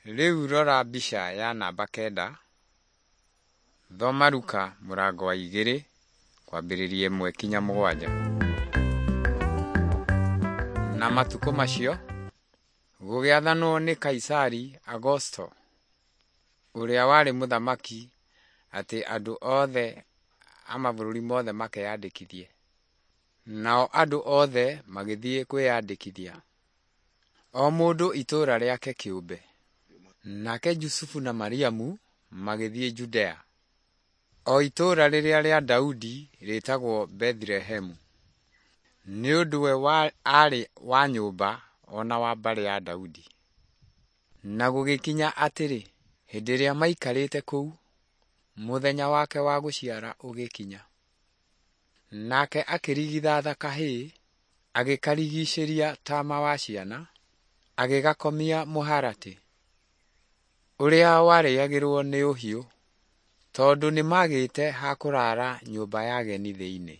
Rĩu rora mbica ya namba 9. Thoma Luka mũrango wa 2 kwambĩrĩria 1 kinya 7. Na matukũ macio, gũgĩathanwo nĩ Kaisari Augusto, ũrĩa warĩ mũthamaki, atĩ andũ othe a mabũrũri mothe makeyandĩkithie. Nao andũ othe magĩthiĩ kwĩyandĩkithia, o mũndũ itũũra rĩake kĩũmbe. Nake Jusufu na Mariamu magĩthiĩ Judea, o itũũra rĩrĩa rĩa Daudi rĩĩtagwo Bethilehemu, nĩ ũndũ we aarĩ wa nyũmba o na wa mbarĩ ya Daudi. Na gũgĩkinya atĩrĩ, hĩndĩ ĩrĩa maaikarĩte kũu, mũthenya wake wa gũciara ũgĩkinya. Nake akĩrigithatha kahĩĩ, agĩkarigicĩria tama wa ciana, agĩgakomia mũharatĩ, ũrĩa warĩagĩrũo nĩ ũhiũ, tondũ nĩmaagĩte ha kũraara nyũmba ya ageni thĩinĩ.